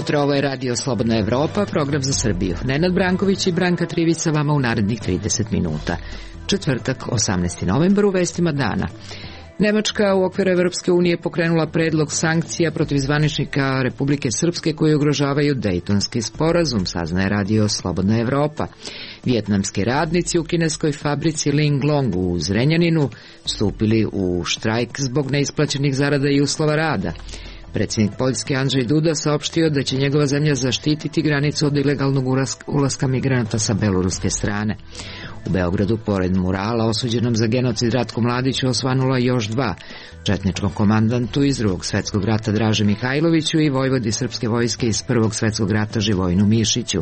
jutro, ovo je Radio Slobodna Evropa, program za Srbiju. Nenad Branković i Branka Trivica vama u narednih 30 minuta. Četvrtak, 18. novembar, u vestima dana. Nemačka u okviru Evropske unije pokrenula predlog sankcija protiv zvaničnika Republike Srpske koji ugrožavaju Dejtonski sporazum, saznaje Radio Slobodna Evropa. Vijetnamski radnici u kineskoj fabrici Linglong u Zrenjaninu stupili u štrajk zbog neisplaćenih zarada i uslova rada. Predsjednik Poljske Andrzej Duda saopštio da će njegova zemlja zaštititi granicu od ilegalnog ulaska migranata sa beloruske strane. U Beogradu, pored murala osuđenom za genocid Ratku Mladiću, osvanula još 2, četničkom komandantu iz Drugog svjetskog rata Draže Mihajloviću i vojvodi srpske vojske iz Prvog svjetskog rata Živojinu Mišiću.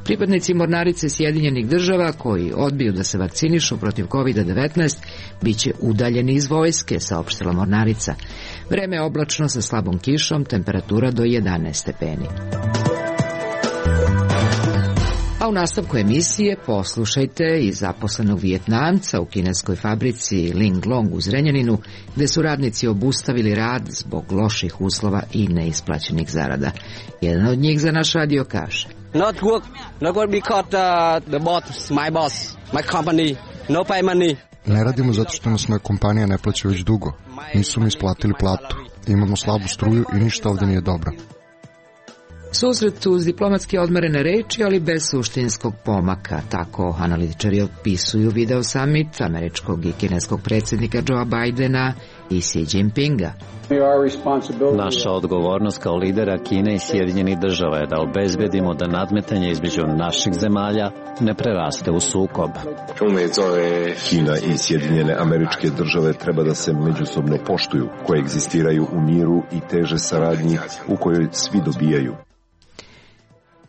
Pripadnici mornarice Sjedinjenih država koji odbiju da se vakcinišu protiv COVID-19 biće udaljeni iz vojske, saopštila mornarica. Vreme je oblačno sa slabom kišom, temperatura do 11 stepeni. A u nastavku emisije poslušajte i zaposlenog Vijetnamca u kineskoj fabrici Linglong u Zrenjaninu, gde su radnici obustavili rad zbog loših uslova i neisplaćenih zarada. Jedan od njih za naš radio kaže: Not work because the boss, my boss, my company, no pay money. Ne radimo zato što nas moja kompanija ne plaća već dugo. Nisu mi isplatili platu. Imamo slabu struju i ništa ovdje nije dobro. Susret uz diplomatski odmerene reči, ali bez suštinskog pomaka. Tako analitičari opisuju video summit američkog i kineskog predsjednika Joea Bidena i Xi Jinpinga. Naša odgovornost kao lidera Kine i Sjedinjenih država je da obezbedimo da nadmetanje između naših zemalja ne preraste u sukob. Kina i Sjedinjene Američke države treba da se međusobno poštuju, koje egzistiraju u miru i teže saradnji u kojoj svi dobijaju.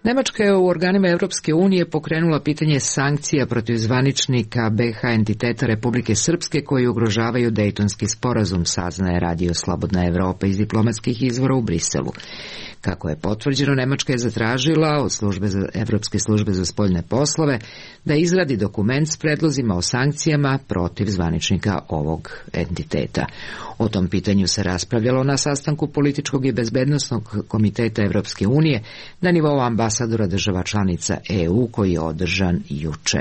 Nemačka je u organima Evropske unije pokrenula pitanje sankcija protiv zvaničnika BiH entiteta Republike Srpske koji ugrožavaju Dejtonski sporazum, saznaje Radio Slobodna Evropa iz diplomatskih izvora u Briselu. Kako je potvrđeno, Nemačka je zatražila od Evropske službe za spoljne poslove da izradi dokument s predlozima o sankcijama protiv zvaničnika ovog entiteta. O tom pitanju se raspravljalo na sastanku političkog i bezbednosnog komiteta Evropske unije na nivou ambasadora država članica EU koji je održan juče.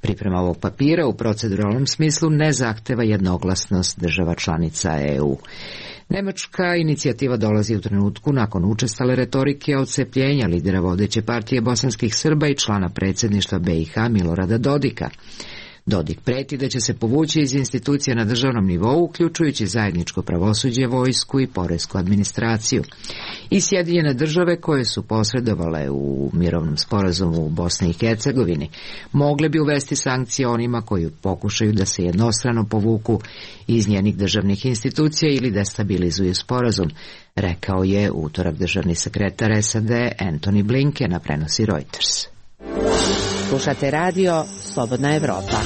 Priprema ovog papira u proceduralnom smislu ne zahteva jednoglasnost država članica EU. Nemačka inicijativa dolazi u trenutku nakon učestale retorike odcepljenja lidera vodeće partije bosanskih Srba i člana predsjedništva BiH Milorada Dodika. Dodik preti da će se povući iz institucija na državnom nivou, uključujući zajedničko pravosuđe, vojsku i poresku administraciju. I Sjedinjene države koje su posredovale u mirovnom sporazumu u Bosni i Hercegovini mogle bi uvesti sankcije onima koji pokušaju da se jednostrano povuku iz njenih državnih institucija ili destabilizuju sporazum, rekao je utorak državni sekretar SAD Antony Blinken, na prenosi Reuters. Slušate radio Slobodna Evropa.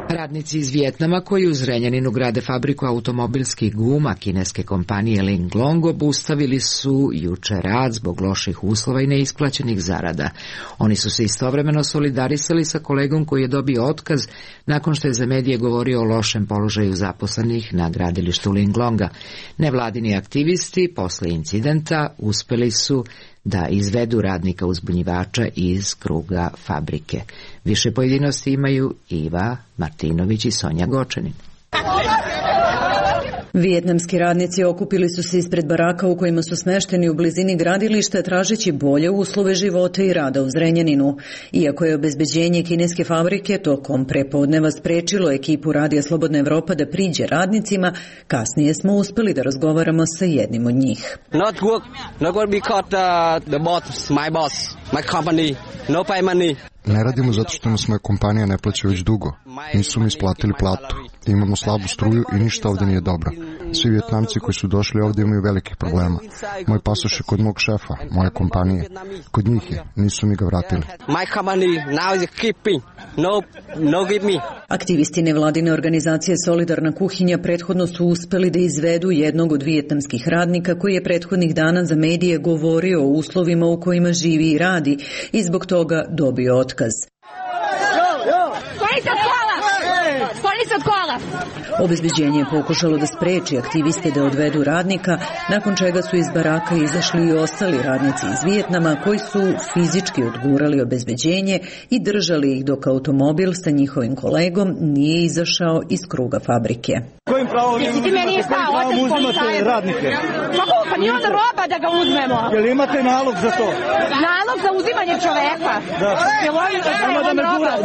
Radnici iz Vijetnama koji u Zrenjaninu grade fabriku automobilskih guma kineske kompanije Linglong obustavili su juče rad zbog loših uslova i neisplaćenih zarada. Oni su se istovremeno solidarisali sa kolegom koji je dobio otkaz nakon što je za medije govorio o lošem položaju zaposlenih na gradilištu Linglonga. Nevladini aktivisti posle incidenta uspeli su da izvedu radnika uzbunjivača iz kruga fabrike. Više pojedinosti imaju Iva Martinović i Sonja Gočanin. Vijetnamski radnici okupili su se ispred baraka u kojima su smešteni u blizini gradilišta tražeći bolje uslove života i rada u Zrenjaninu. Iako je obezbeđenje kineske fabrike tokom prepodneva sprečilo ekipu Radija Slobodna Evropa da priđe radnicima, kasnije smo uspeli da razgovaramo sa jednim od njih. Not work because the boss, my boss, my company, no pay money. Ne radimo zato što nas moja kompanija ne plaća već dugo. Nisu mi isplatili platu. Imamo slabu struju i ništa ovdje nije dobro. Svi Vijetnamci koji su došli ovdje imaju velikih problema. Moj pasoš je kod mog šefa, moje kompanije. Kod njih je, nisu mi ga vratili. Aktivisti nevladine organizacije Solidarna kuhinja prethodno su uspeli da izvedu jednog od vijetnamskih radnika koji je prethodnih dana za medije govorio o uslovima u kojima živi i radi i zbog toga dobio otkaz. se od kola! Obezbeđenje je pokušalo da spreči aktiviste da odvedu radnika, nakon čega su iz baraka izašli i ostali radnici iz Vijetnama koji su fizički odgurali obezbeđenje i držali ih dok automobil sa njihovim kolegom nije izašao iz kruga fabrike. Kojim pravom uzimate radnike? Pa nije onda roba da ga uzmemo. Jel imate nalog za to? Nalog za uzimanje čoveka.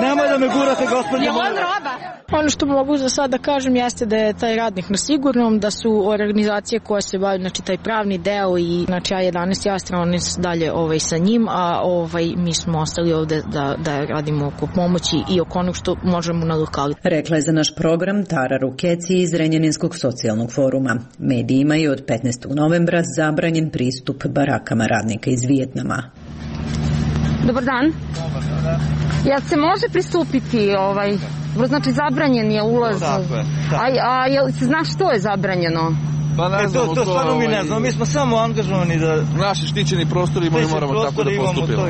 Nemoj da me gurate, gospođo. Jel on roba? Ono što mogu za sada kažem jeste da je taj radnik na sigurnom, da su organizacije koje se bavaju, znači taj pravni deo i znači A11 i Astra, oni su dalje sa njim, a mi smo ostali ovde da radimo oko pomoći i oko onog što možemo na lokalu. Rekla je za naš program Tara Rukeci iz Zrenjaninskog socijalnog foruma. Medijima je od 15. novembra zabranjen pristup barakama radnika iz Vijetnama. Dobar dan. Jel se može pristupiti znači zabranjen je ulaz. A jel se zna što je zabranjeno? Pa ne znam, to stvarno mi ne znam, mi smo samo angažovani da... Naši štićeni prostori moramo tako da postupimo.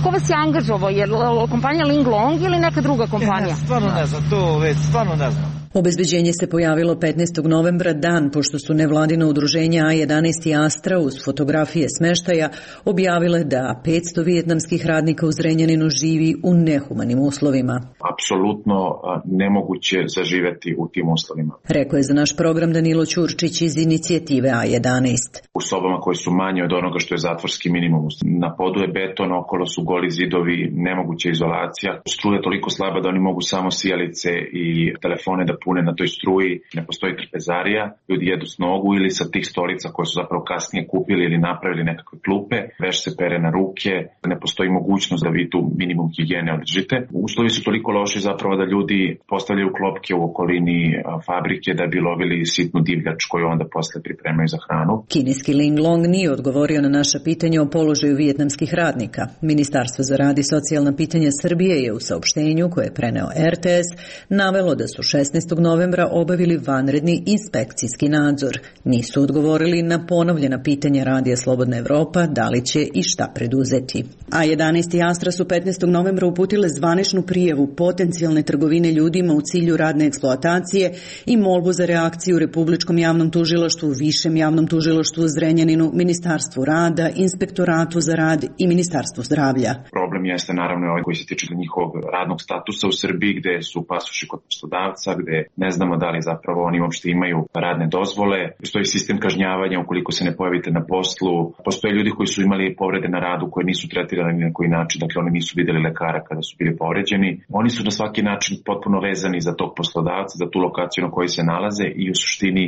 Ko vas je angažovao? Je li kompanija Ling Long ili neka druga kompanija? Stvarno ne znam, to već, stvarno ne znam. Obezbeđenje se pojavilo 15. novembra, dan pošto su nevladino udruženja A11 i Astra uz fotografije smeštaja objavile da 500 vijetnamskih radnika u Zrenjaninu živi u nehumanim uslovima. Apsolutno nemoguće zaživeti u tim uslovima. Rekao je za naš program Danilo Ćurčić iz inicijative A11. U sobama koje su manje od onoga što je zatvorski minimum. Na podu je beton, okolo su goli zidovi, nemoguća izolacija. Struja je toliko slaba da oni mogu samo sijalice i telefone da pune na toj struji, ne postoji trpezarija, ljudi jedu s nogu ili sa tih stolica koje su zapravo kasnije kupili ili napravili nekakve klupe, veš se pere na ruke, ne postoji mogućnost da vi tu minimum higijene održite. Uslovi su toliko loši zapravo da ljudi postavljaju klopke u okolini fabrike da bi lovili sitnu divljač koju onda posle pripremaju za hranu. Kineski Ling Long nije odgovorio na naša pitanja o položaju vijetnamskih radnika. Ministarstvo za rad i socijalna pitanja Srbije je u saopštenju koje je preneo RTS navelo da su 16. novembra obavili vanredni inspekcijski nadzor. Nisu odgovorili na ponovljena pitanja Radija Slobodna Evropa da li će i šta preduzeti. A11 i Astra su 15. novembra uputile zvaničnu prijavu potencijalne trgovine ljudima u cilju radne eksploatacije i molbu za reakciju Republičkom javnom tužilaštvu, Višem javnom tužilaštvu u Zrenjaninu, Ministarstvu rada, Inspektoratu za rad i Ministarstvu zdravlja. Problem jeste naravno ovaj koji se tiče njihovog radnog statusa u Srbiji, gde su pasoši kod poslodavca, gde ne znamo da li zapravo oni uopšte imaju radne dozvole. Postoji sistem kažnjavanja ukoliko se ne pojavite na poslu. Postoje ljudi koji su imali povrede na radu koje nisu tretirani na koji način, dakle oni nisu videli lekara kada su bili povređeni. Oni su na svaki način potpuno vezani za tog poslodavca, za tu lokaciju na kojoj se nalaze i u suštini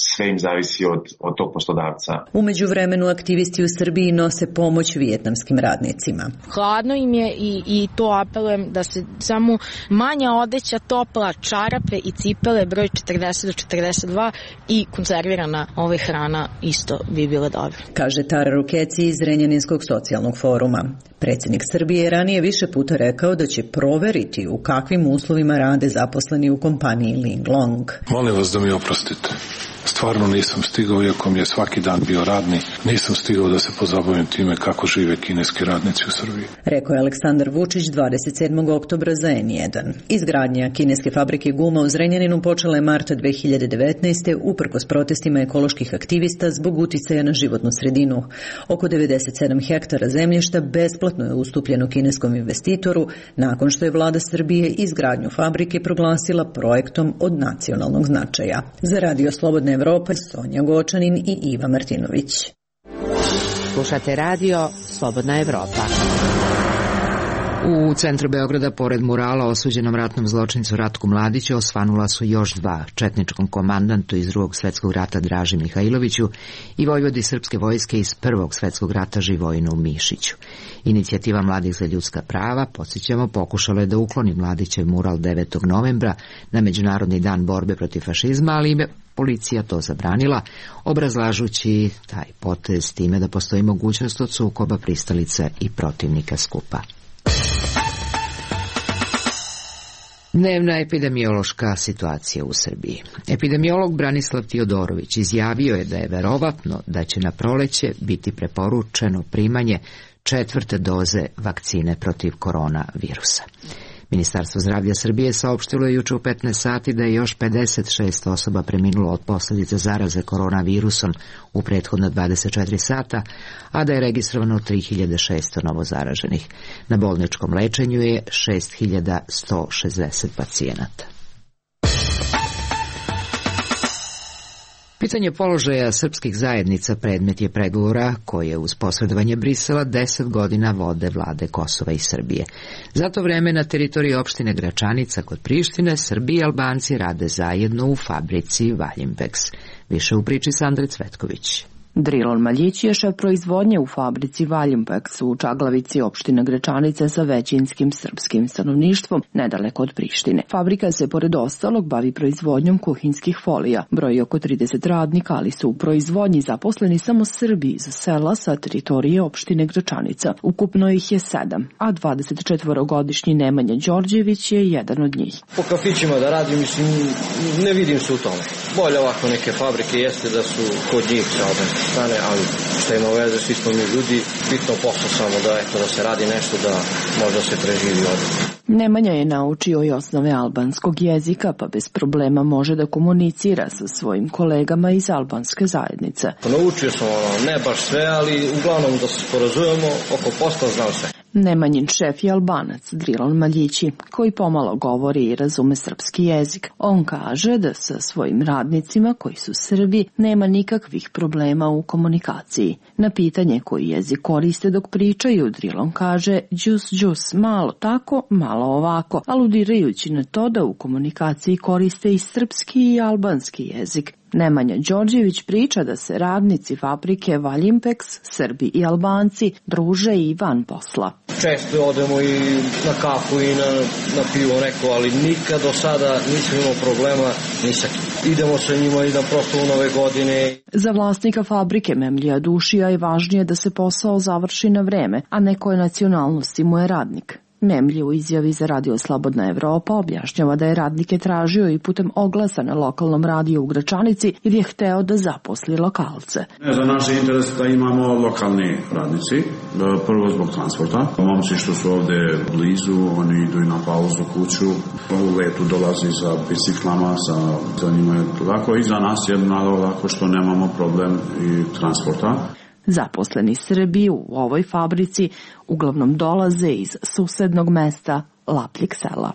sve im zavisi od tog poslodavca. Umeđu vremenu aktivisti u Srbiji nose pomoć vijetnamskim radnicima. Hladno im je i to apelujem da se samo manja odeća, topla, čarape i cipele broj 40 do 42 i konzervirana hrana isto bi bila dobra. Kaže Tara Rukeci iz Zrenjaninskog socijalnog foruma. Predsjednik Srbije je ranije više puta rekao da će proveriti u kakvim uslovima rade zaposleni u kompaniji Ling Long. Molim vas da mi oprostite. Stvarno nisam stigao, iako mi je svaki dan bio radni, nisam stigao da se pozabavim time kako žive kineski radnici u Srbiji. Rekao je Aleksandar Vučić 27. oktobra za N1. Izgradnja kineske fabrike guma u Zrenjaninu počela je marta 2019. uprkos protestima ekoloških aktivista zbog uticaja na životnu sredinu. Oko 97 hektara zemljišta besplatno je ustupljeno kineskom investitoru nakon što je vlada Srbije izgradnju fabrike proglasila projektom od nacionalnog značaja. Za Radio Slobodna Evropa, Sonja Gočanin i Iva Martinović. Slušate radio Slobodna Evropa. U centru Beograda, pored murala osuđenom ratnom zločincu Ratku Mladiću, osvanula su još dva, četničkom komandantu iz Drugog svetskog rata Draži Mihajloviću i vojvodi srpske vojske iz Prvog svetskog rata Živojinu Mišiću. Inicijativa Mladih za ljudska prava, podsjećamo, pokušala je da ukloni Mladićev mural 9. novembra na Međunarodni dan borbe protiv fašizma, ali im policija to zabranila, obrazlažući taj potez time da postoji mogućnost od sukoba pristalica i protivnika skupa. Dnevna epidemiološka situacija u Srbiji. Epidemiolog Branislav Tiodorović izjavio je da je verovatno da će na proleće biti preporučeno primanje 4. doze vakcine protiv koronavirusa. Ministarstvo zdravlja Srbije saopštilo je juče u 15 sati da je još 56 osoba preminulo od posljedica zaraze koronavirusom u prethodno 24 sata, a da je registrovano 3600 novozaraženih. Na bolničkom lečenju je 6160 pacijenata. Pitanje položaja srpskih zajednica predmet je pregovora koje uz posredovanje Brisela 10 godina vode vlade Kosova i Srbije. Za to vreme na teritoriji opštine Gračanica kod Prištine Srbi i Albanci rade zajedno u fabrici Valjimpex. Više u priči Sandre Cvetković. Drilon Maljić je šef proizvodnje u fabrici Valjimpex u Čaglavici opštine Gračanice sa većinskim srpskim stanovništvom nedaleko od Prištine. Fabrika se pored ostalog bavi proizvodnjom kuhinskih folija. Broji oko 30 radnika, ali su u proizvodnji zaposleni samo Srbi iz sela sa teritorije opštine Gračanica. Ukupno ih je 7, a 24-godišnji Nemanja Đorđević je jedan od njih. Po kafićima da radim, mislim, ne vidim se u tome. Bolje ovako neke fabrike jeste da su kod njih sa obe strane, ali što ima veze, svi smo mi ljudi, bitno posao samo da se radi nešto da možda se preživi ovdje. Nemanja je naučio i osnove albanskog jezika, pa bez problema može da komunicira sa svojim kolegama iz albanske zajednice. Naučio sam ne baš sve, ali uglavnom da se sporazumemo oko posla, znam sve. Nemanjin šef je Albanac, Drilon Maljići, koji pomalo govori i razume srpski jezik. On kaže da sa svojim radnicima, koji su Srbi, nema nikakvih problema u komunikaciji. Na pitanje koji jezik koriste dok pričaju, Drilon kaže džus, malo tako, malo ovako, aludirajući na to da u komunikaciji koriste i srpski i albanski jezik. Nemanja Đorđević priča da se radnici fabrike Valjimpex, Srbi i Albanci, druže i van posla. Često odemo i na kafu i na pivo neko, ali nikad do sada nisam imao problema ni sa kim. Idemo sa njima i na proslavu Nove godine. Za vlasnika fabrike Memlija Dušija je važnije da se posao završi na vreme, a ne koje nacionalnosti mu je radnik. Memlji u izjavi za radio Slobodna Evropa objašnjava da je radnike tražio i putem oglasa na lokalnom radiju u Gračanici jer je hteo da zaposli lokalce. Za naš interes da imamo lokalni radnici, prvo zbog transporta. Momci što su ovde blizu, oni idu i na pauzu kuću, u letu dolazi sa biciklama, za njima je lako i za nas je malo lako što nemamo problem i transporta. Zaposleni Srbi u ovoj fabrici uglavnom dolaze iz susednog mesta Lapljeg sela.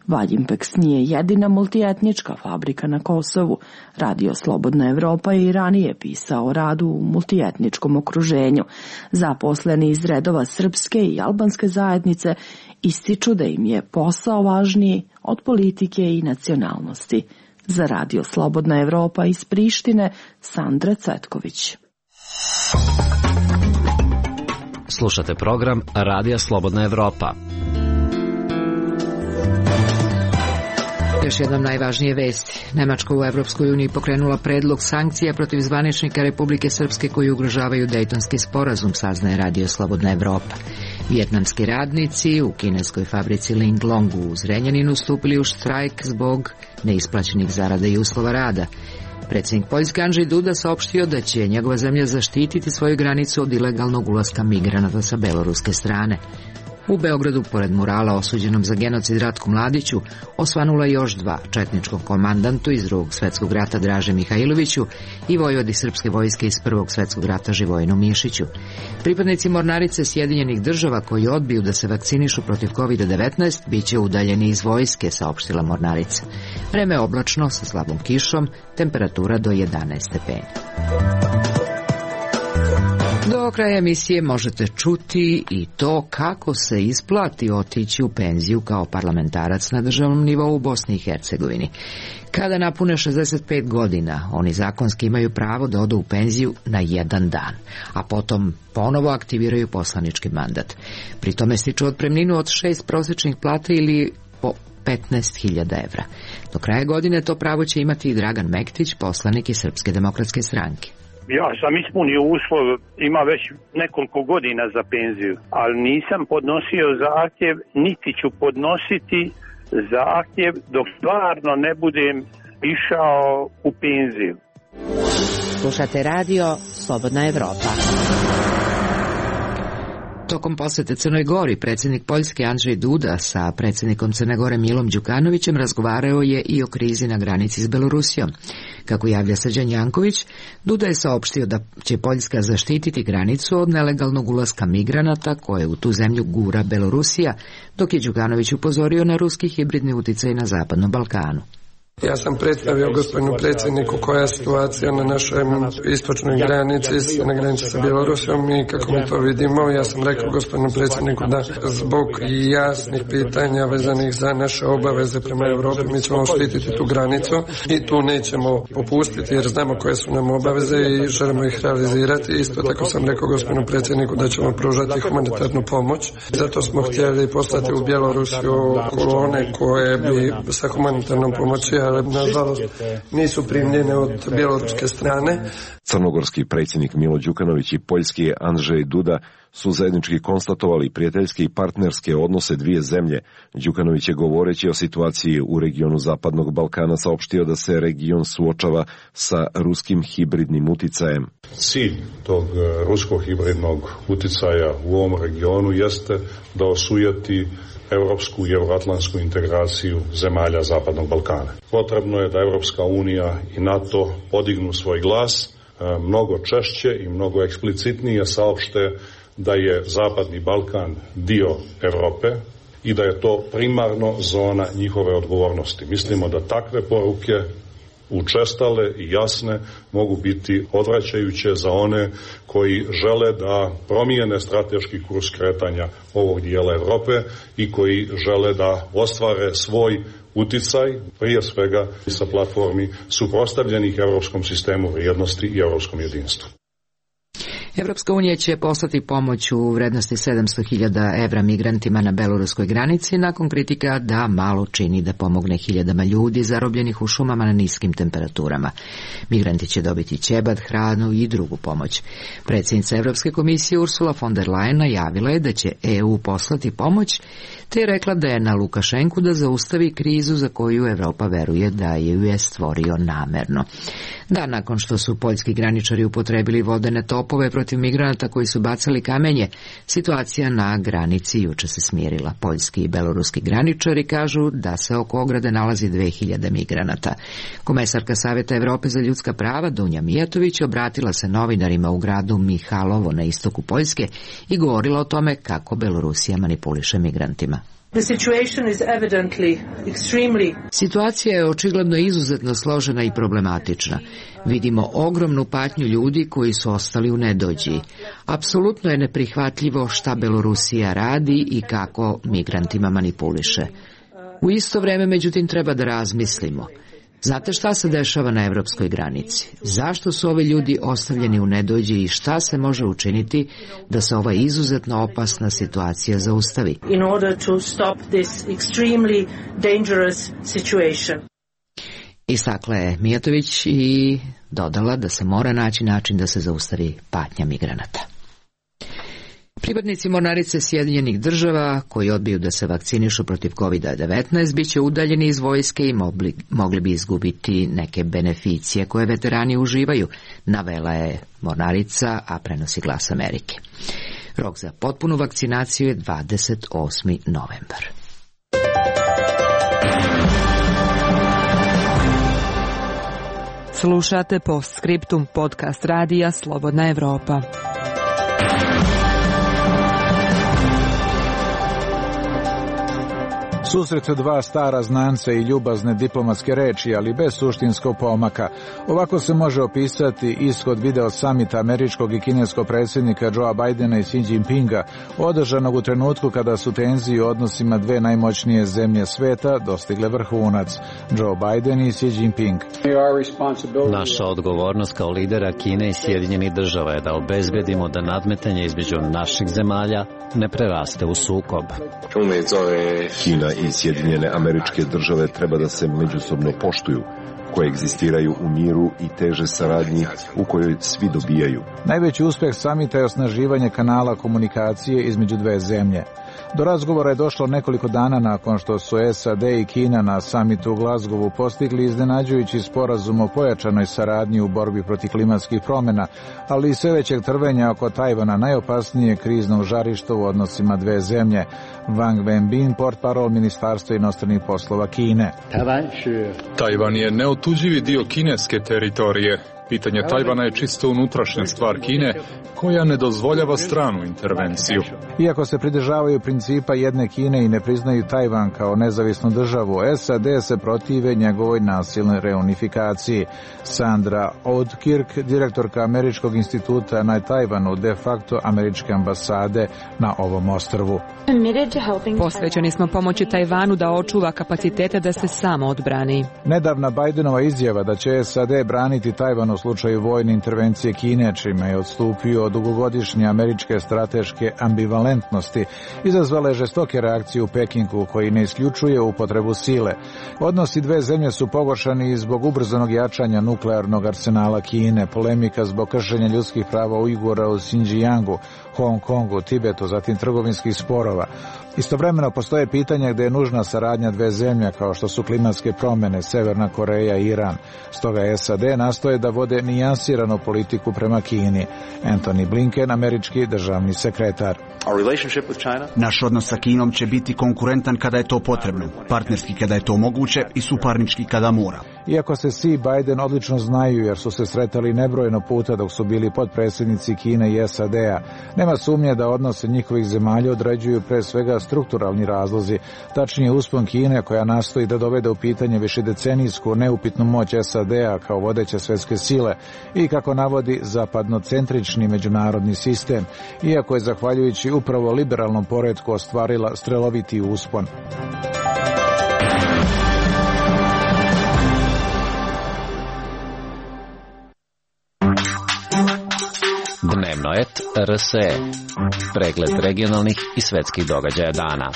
Valjimpex nije jedina multietnička fabrika na Kosovu. Radio Slobodna Evropa je i ranije pisao o radu u multietničkom okruženju. Zaposleni iz redova srpske i albanske zajednice ističu da im je posao važniji od politike i nacionalnosti. Za Radio Slobodna Evropa iz Prištine, Sandra Cvetković. Slušate program Radija Slobodna Evropa. Još jednom najvažnije vesti. Nemačka u Evropskoj uniji pokrenula predlog sankcija protiv zvaničnika Republike Srpske koji ugrožavaju Dejtonski sporazum, saznaje Radio Slobodna Evropa. Vijetnamski radnici u kineskoj fabrici Linglong u Zrenjaninu stupili u štrajk zbog neisplaćenih zarada i uslova rada. Predsjednik Poljske Andrzej Duda saopštio da će njegova zemlja zaštititi svoju granicu od ilegalnog ulaska migranata sa beloruske strane. U Beogradu, pored murala osuđenom za genocid Ratku Mladiću, osvanula još 2, četničkom komandantu iz Drugog svjetskog rata Draže Mihajloviću i vojvodi srpske vojske iz Prvog svjetskog rata Živojinu Mišiću. Pripadnici mornarice Sjedinjenih država koji odbiju da se vakcinišu protiv COVID-19 bit će udaljeni iz vojske, saopštila mornarica. Vreme je oblačno sa slabom kišom, temperatura do 11 stepeni. Do kraja emisije možete čuti i to kako se isplati otići u penziju kao parlamentarac na državnom nivou u Bosni i Hercegovini. Kada napune 65 godina, oni zakonski imaju pravo da odu u penziju na 1 dan, a potom ponovo aktiviraju poslanički mandat. Pri tome stiču otpremninu od 6 prosječnih plata ili po 15.000 evra. Do kraja godine to pravo će imati i Dragan Mektić, poslanik iz Srpske demokratske stranke. Ja sam ispunio uslov, ima već nekoliko godina za penziju, ali nisam podnosio zahtjev, niti ću podnositi zahtjev dok stvarno ne budem išao u penziju. Slušate radio Slobodna Evropa. Tokom posete Crnoj Gori, predsjednik Poljske Andrzej Duda sa predsjednikom Crne Gore Milom Đukanovićem razgovarao je i o krizi na granici s Belorusijom. Kako javlja Srđan Janković, Duda je saopštio da će Poljska zaštititi granicu od nelegalnog ulaska migranata koje u tu zemlju gura Belorusija, dok je Đukanović upozorio na ruski hibridni uticaj na Zapadnom Balkanu. Ja sam predstavio gospodinu predsjedniku koja je situacija na našoj istočnoj granici, na granici sa Bjelorusijom i kako mi to vidimo. Ja sam rekao gospodinu predsjedniku da zbog jasnih pitanja vezanih za naše obaveze prema Europi mi ćemo štititi tu granicu i tu nećemo popustiti jer znamo koje su nam obaveze i želimo ih realizirati. Isto tako sam rekao gospodinu predsjedniku da ćemo pružati humanitarnu pomoć. Zato smo htjeli poslati u Bjelorusiju kolone koje bi sa humanitarnom pomoći, ali nažalost nisu primljene od bjeloruske strane. Crnogorski predsjednik Milo Đukanović i poljski Andrzej Duda su zajednički konstatovali prijateljske i partnerske odnose dvije zemlje. Đukanović je govoreći o situaciji u regionu Zapadnog Balkana saopštio da se region suočava sa ruskim hibridnim uticajem. Cilj tog ruskog hibridnog uticaja u ovom regionu jeste da osujeti europsku i euroatlantsku integraciju zemalja Zapadnog Balkana. Potrebno je da Europska unija i NATO podignu svoj glas mnogo češće i mnogo eksplicitnije saopšte da je Zapadni Balkan dio Europe i da je to primarno zona njihove odgovornosti. Mislimo da takve poruke učestale i jasne mogu biti odvraćajuće za one koji žele da promijene strateški kurs kretanja ovog dijela Europe i koji žele da ostvare svoj uticaj, prije svega sa platformi suprotstavljenih europskom sistemu vrijednosti i europskom jedinstvu. Evropska unija će poslati pomoć u vrednosti 700.000 evra migrantima na beloruskoj granici nakon kritika da malo čini da pomogne hiljadama ljudi zarobljenih u šumama na niskim temperaturama. Migranti će dobiti ćebad, hranu i drugu pomoć. Predsjednica Evropske komisije Ursula von der Leyen najavila je da će EU poslati pomoć, te je rekla da je na Lukašenku da zaustavi krizu za koju Evropa veruje da je ju je stvorio namerno. Da, nakon što su poljski graničari upotrebili vodene topove protiv migranata koji su bacali kamenje, situacija na granici juče se smirila. Poljski i beloruski graničari kažu da se oko ograde nalazi 2000 migranata. Komesarka Savjeta Evrope za ljudska prava Dunja Mijatović obratila se novinarima u gradu Mihalovo na istoku Poljske i govorila o tome kako Belorusija manipuliše migrantima. Situacija je očigledno izuzetno složena i problematična. Vidimo ogromnu patnju ljudi koji su ostali u nedođi. Apsolutno je neprihvatljivo šta Belorusija radi i kako migrantima manipuliše. U isto vrijeme, međutim, treba da razmislimo. Znate šta se dešava na evropskoj granici? Zašto su ovi ljudi ostavljeni u nedođi i šta se može učiniti da se ova izuzetno opasna situacija zaustavi? In order to stop this extremely dangerous situation. Istakla je Mijatović i dodala da se mora naći način da se zaustavi patnja migranata. Pripadnici mornarice Sjedinjenih država koji odbiju da se vakcinišu protiv COVID-19 bit će udaljeni iz vojske i mogli bi izgubiti neke beneficije koje veterani uživaju, navela je mornarica, a prenosi Glas Amerike. Rok za potpunu vakcinaciju je 28. novembar. Slušate Postscriptum, podcast radija Slobodna Evropa. Susret dva stara znanca i ljubazne diplomatske reči, ali bez suštinskog pomaka. Ovako se može opisati ishod video samita američkog i kineskog predsjednika Joea Bidena i Xi Jinpinga, održanog u trenutku kada su tenzije u odnosima dve najmoćnije zemlje sveta dostigle vrhunac, Joe Biden i Xi Jinping. Naša odgovornost kao lidera Kine i Sjedinjenih država je da obezbedimo da nadmetanje između naših zemalja ne preraste u sukob. Kina i Sjedinjene Američke Države treba da se međusobno poštuju, koje egzistiraju u miru i teže saradnji u kojoj svi dobijaju. Najveći uspeh samita je osnaživanje kanala komunikacije između dve zemlje. Do razgovora je došlo nekoliko dana nakon što su SAD i Kina na samitu u Glazgovu postigli iznenađujući sporazum o pojačanoj saradnji u borbi protiv klimatskih promjena, ali i sve većeg trvenja oko Tajvana, najopasnije kriznog žarišta u odnosima dve zemlje. Wang Wenbin, portparol Ministarstva inostranih poslova Kine. Tajvan je neotuđivi dio kineske teritorije. Pitanje Tajvana je čisto unutrašnja stvar Kine, koja ne dozvoljava stranu intervenciju. Iako se pridržavaju principa jedne Kine i ne priznaju Tajvan kao nezavisnu državu, SAD se protive njegovoj nasilnoj reunifikaciji. Sandra Oudkirk, direktorka Američkog instituta na Tajvanu, de facto američke ambasade na ovom ostrvu. Posvećeni smo pomoći Tajvanu da očuva kapacitete da se samo odbrani. Nedavna Bidenova izjava da će SAD braniti Tajvan u slučaju vojne intervencije Kine, čime je odstupio od dugogodišnje američke strateške ambivalentnosti, izazvala je žestoke reakcije u Pekingu, koji ne isključuje upotrebu sile. Odnosi dve zemlje su pogoršani zbog ubrzanog jačanja nuklearnog arsenala Kine, polemika zbog kršenja ljudskih prava Ujgura u Xinjiangu, Hong Kongu, Tibetu, zatim trgovinskih sporova. Istovremeno postoje pitanja gdje je nužna saradnja dve zemlje, kao što su klimatske promjene, Severna Koreja i Iran. Stoga SAD nastoje da vode nijansiranu politiku prema Kini. Anthony Blinken, američki državni sekretar. Naš odnos sa Kinom će biti konkurentan kada je to potrebno, partnerski kada je to moguće i suparnički kada mora. Iako se Xi i Biden odlično znaju jer su se sretali nebrojeno puta dok su bili potpredsjednici Kine i SAD-a, nema sumnje da odnose njihovih zemalja određuju pre svega strukturalni razlozi, tačnije uspon Kine koja nastoji da dovede u pitanje višedecenijsku neupitnu moć SAD-a kao vodeće svjetske sile i, kako navodi, zapadnocentrični međunarodni sistem, iako je zahvaljujući upravo liberalnom poretku ostvarila streloviti uspon. Dnevnoet RSE. Pregled regionalnih i svetskih događaja dana.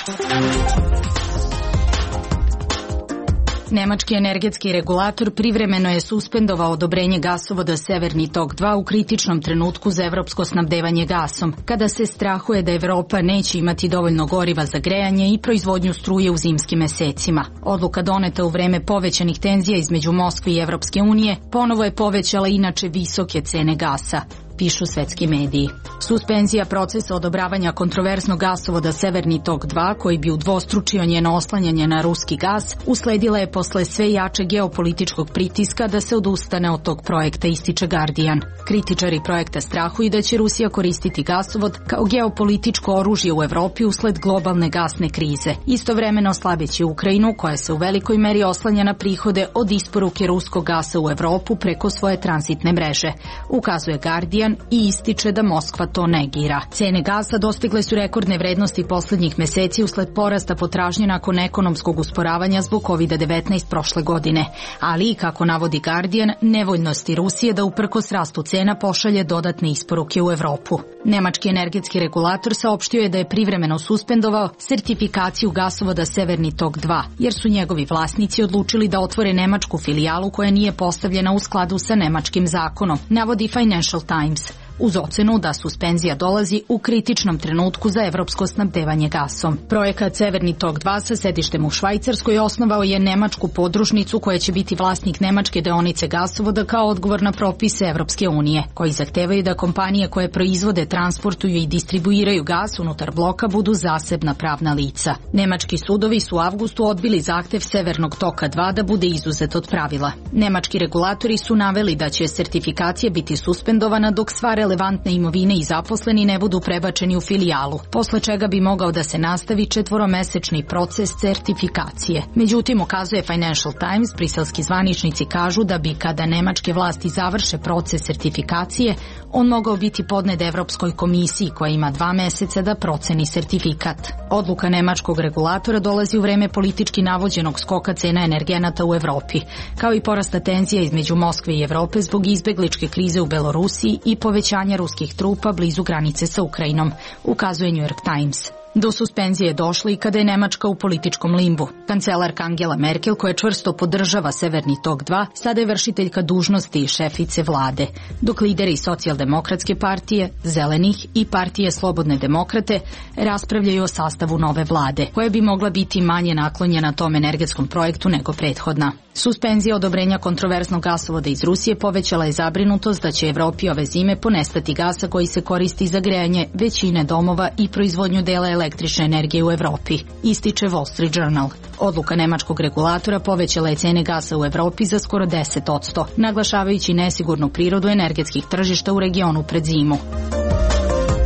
Nemački energetski regulator privremeno je suspendovao odobrenje gasovoda Severni tok 2 u kritičnom trenutku za evropsko snabdevanje gasom, kada se strahuje da Evropa neće imati dovoljno goriva za grejanje i proizvodnju struje u zimskim mesecima. Odluka doneta u vreme povećanih tenzija između Moskve i Evropske unije ponovo je povećala inače visoke cene gasa, pišu svetski mediji. Suspenzija procesa odobravanja kontroverznog gasovoda Severni tok 2, koji bi udvostručio njeno oslanjanje na ruski gas, usledila je posle sve jače geopolitičkog pritiska da se odustane od tog projekta, ističe Guardian. Kritičari projekta strahuju da će Rusija koristiti gasovod kao geopolitičko oružje u Evropi usled globalne gasne krize, istovremeno slabeći Ukrajinu, koja se u velikoj meri oslanja na prihode od isporuke ruskog gasa u Evropu preko svoje tranzitne mreže, ukazuje Guardian i ističe da Moskva to negira. Cene gasa dostigle su rekordne vrednosti poslednjih meseci usled porasta potražnje nakon ekonomskog usporavanja zbog COVID-19 prošle godine, ali i, kako navodi Guardian, nevoljnosti Rusije da uprkos rastu cena pošalje dodatne isporuke u Evropu. Nemački energetski regulator saopštio je da je privremeno suspendovao sertifikaciju gasovoda Severni tok 2, jer su njegovi vlasnici odlučili da otvore nemačku filijalu koja nije postavljena u skladu sa nemačkim zakonom, navodi Financial Times, uz ocenu da suspenzija dolazi u kritičnom trenutku za evropsko snabdevanje gasom. Projekat Severni tok 2 sa sedištem u Švajcarskoj osnovao je nemačku podružnicu koja će biti vlasnik nemačke deonice gasovoda kao odgovor na propise Evropske unije, koji zahtevaju da kompanije koje proizvode, transportuju i distribuiraju gas unutar bloka budu zasebna pravna lica. Nemački sudovi su u avgustu odbili zahtev Severnog toka 2 da bude izuzet od pravila. Nemački regulatori su naveli da će sertifikacija biti suspendovana dok sva relevantne imovine i zaposleni ne budu prebačeni u filijalu, posle čega bi mogao da se nastavi 4-mesečni proces sertifikacije. Međutim, ukazuje Financial Times, briselski zvaničnici kažu da bi, kada nemačke vlasti završe proces sertifikacije, on mogao biti podnet Evropskoj komisiji, koja ima 2 meseca da proceni sertifikat. Odluka nemačkog regulatora dolazi u vreme politički navođenog skoka cena energenata u Evropi, kao i porasta tenzija između Moskve i Evrope zbog izbegličke krize u Belorusiji i povećanja ruskih trupa blizu granice sa Ukrajinom, ukazuje New York Times. Do suspenzije je došlo i kada je Nemačka u političkom limbu. Kancelarka Angela Merkel, koja čvrsto podržava Severni tok 2, sada je vršiteljka dužnosti i šefice vlade, dok lideri Socijaldemokratske partije, Zelenih i partije Slobodne demokrate raspravljaju o sastavu nove vlade, koja bi mogla biti manje naklonjena tom energetskom projektu nego prethodna. Suspenzija odobrenja kontroverznog gasovoda iz Rusije povećala je zabrinutost da će Evropi ove zime ponestati gasa koji se koristi za grejanje većine domova i proizvodnju dela električne energije u Evropi, ističe Wall Street Journal. Odluka nemačkog regulatora povećala je cene gasa u Evropi za skoro 10%, naglašavajući nesigurnu prirodu energetskih tržišta u regionu pred zimu.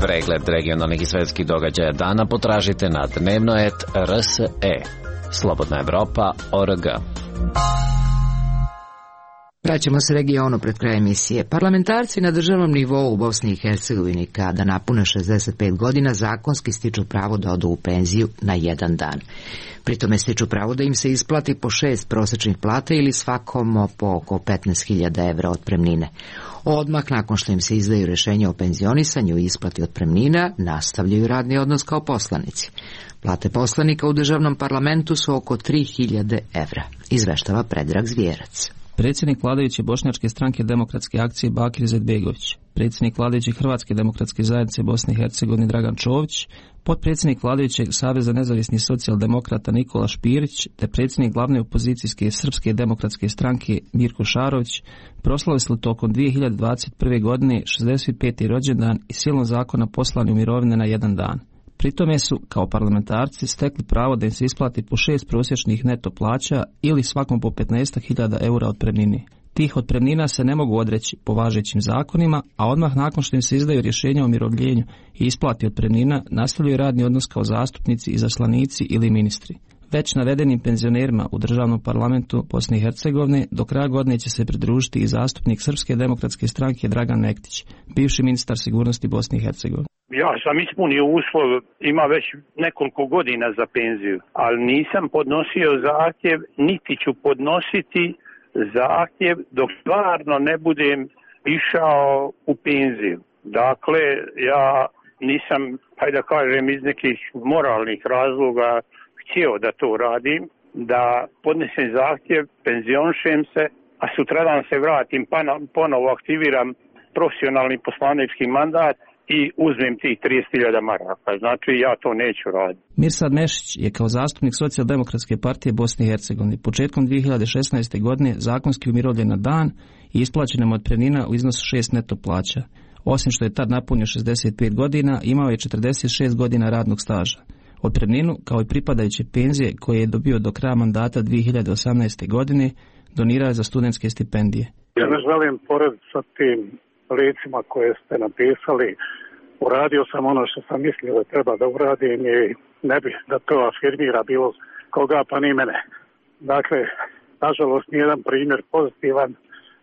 Pregled regionalnih i svetskih događaja dana potražite na dnevnoet.rse. Slobodna Evropa.org. Vraćamo se regionu pred kraj emisije. Parlamentarci na državnom nivou u Bosni i Hercegovini kada napune 65 godina zakonski stiču pravo da odu u penziju na jedan dan. Pritome stiču pravo da im se isplati po 6 prosečnih plata ili svakom po oko 15.000 evra otpremnine. Odmah nakon što im se izdaju rješenja o penzionisanju i isplati otpremnina, nastavljaju radni odnos kao poslanici. Plate poslanika u državnom parlamentu su oko 3.000 evra, izveštava Predrag Zvijerac. Predsjednik vladajuće Bošnjačke stranke Demokratske akcije Bakir Izetbegović, predsjednik vladajuće Hrvatske demokratske zajednice Bosne i Hercegovine Dragan Čović, potpredsjednik vladajućeg Saveza nezavisnih socijaldemokrata Nikola Špirić te predsjednik glavne opozicijske Srpske demokratske stranke Mirko Šarović proslavili tokom 2021. godine 65. rođendan i silom zakona poslani u mirovine na jedan dan. Pritome su, kao parlamentarci, stekli pravo da im se isplati po 6 prosječnih neto plaća ili svakom po 15.000 eura otpremnine. Tih otpremnina se ne mogu odreći po važećim zakonima, a odmah nakon što im se izdaju rješenja o umirovljenju i isplati otpremnina, nastavljaju radni odnos kao zastupnici, izaslanici ili ministri. Već navedenim penzionerima u državnom parlamentu Bosne i Hercegovine do kraja godine će se pridružiti i zastupnik Srpske demokratske stranke Dragan Mektić, bivši ministar sigurnosti Bosne i Hercegovine. Ja sam ispunio uslov, ima već nekoliko godina za penziju, ali nisam podnosio zahtjev, niti ću podnositi zahtjev dok stvarno ne budem išao u penziju. Dakle, ja nisam, hajde da kažem, iz nekih moralnih razloga htio da to radim, da podnesem zahtjev, penzionišem se, a sutradan se vratim, pa ponovo aktiviram profesionalni poslanički mandat i uzmem tih 30.000 maraka. Znači, ja to neću raditi. Mirsad Mešić je kao zastupnik Socijaldemokratske partije Bosne i Hercegovine početkom 2016. godine zakonski umirovljen na dan i isplaćena mu otpremnina u iznosu 6 neto plaća. Osim što je tad napunio 65 godina, imao je 46 godina radnog staža. Otpremninu, kao i pripadajuće penzije koje je dobio do kraja mandata 2018. godine, donirao je za studentske stipendije. Ja ne želim pored sa tim licima koje ste napisali, uradio sam ono što sam mislio da treba da uradim i ne bih da to afirmira bilo koga pa ni mene. Dakle, nažalost, nijedan primjer pozitivan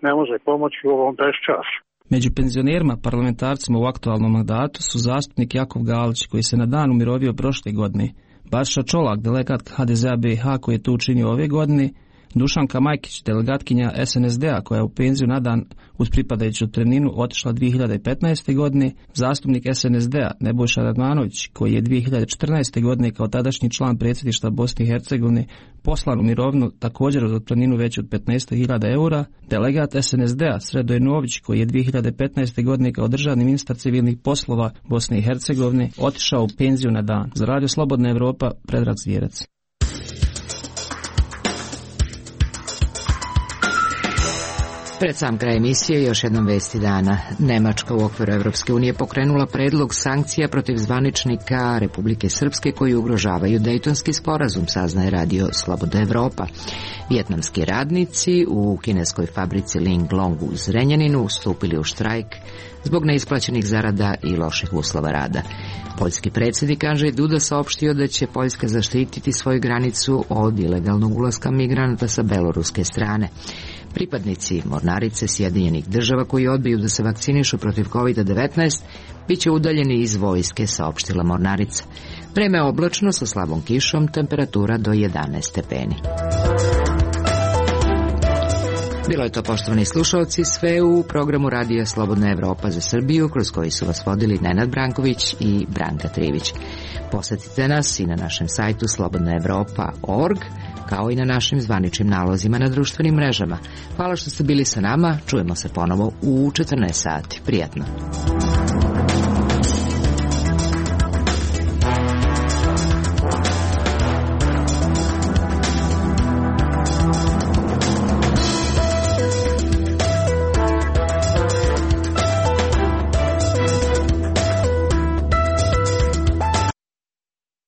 ne može pomoći u ovom beščašu. Među penzionerima parlamentarcima u aktualnom mandatu su zastupnik Jakov Galić, koji se na dan umirovio prošle godine, Baša Čolak, delegat HDZ-a BiH koji je to učinio ove godine, Dušanka Majkić, delegatkinja SNSD-a koja je u penziju na dan uz pripadajuću otpremninu otišla 2015. godine, zastupnik SNSD-a Nebojša Radmanović koji je 2014. godine kao tadašnji član predsjedništva Bosne i Hercegovine poslan u mirovinu također uz otpremninu veću od 15.000 eura, delegat SNSD-a Sredoje Nović koji je 2015. godine kao državni ministar civilnih poslova Bosne i Hercegovine otišao u penziju na dan. Za Radio Slobodna Evropa, Predrag Zvijerac. Pred sam kraj emisije još jednom vesti dana. Nemačka u okviru Evropske unije pokrenula predlog sankcija protiv zvaničnika Republike Srpske koji ugrožavaju Dejtonski sporazum, saznaje Radio Slobodna Evropa. Vijetnamski radnici u kineskoj fabrici Linglong u Zrenjaninu ustupili u štrajk zbog neisplaćenih zarada i loših uslova rada. Poljski predsjednik Andrzej Duda saopštio da će Poljska zaštititi svoju granicu od ilegalnog ulaska migranata sa beloruske strane. Pripadnici mornarice Sjedinjenih država koji odbiju da se vakcinišu protiv COVID-19 bit će udaljeni iz vojske, saopštila mornarica. Vreme je oblačno sa slabom kišom, temperatura do 11 stepeni. Bilo je to, poštovani slušalci, sve u programu Radija Slobodna Evropa za Srbiju, kroz koji su vas vodili Nenad Branković i Branka Trivić. Posetite nas i na našem sajtu slobodnaevropa.org, kao i na našim zvaničnim nalozima na društvenim mrežama. Hvala što ste bili sa nama, čujemo se ponovo u 14 sati. Prijatno.